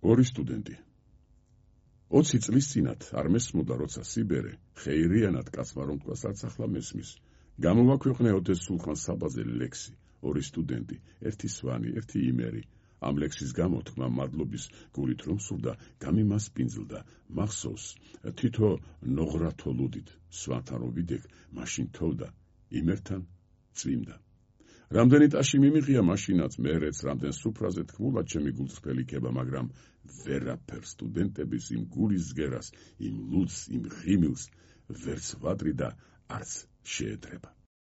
ორი სტუდენტი. 20 წლის წინათ არ მესმოდა, როცა სიბერე ხეირიანად კაცმა რომ თქვას, არც ახლა მესმის. გამოვაქვეყნე ოდეს სულხან საბაზე ლექსი, ორი სტუდენტი, ერთი სვანი, ერთი იმერი. ამ ლექსის გამო თქმა მადლობის გულით რომ სურდა, გამიმასპინძლდა, მახსოვს, თითო ნოღრათო ლუდით, სვანთან რომ ვიდექ, მაშინ თოვდა, იმერთან წვიმდა. რამდენი ტაში მიმიღია მაშინაც მერეც, რამდენ სუფრაზე თქმულად ჩემი გულწრფელი ქება, მაგრამ ვერაფერ სტუდენტების იმ გულის ზგერას, იმ ლუდს, იმ ღიმილს, ვერც ვადრი და არც შეედრება.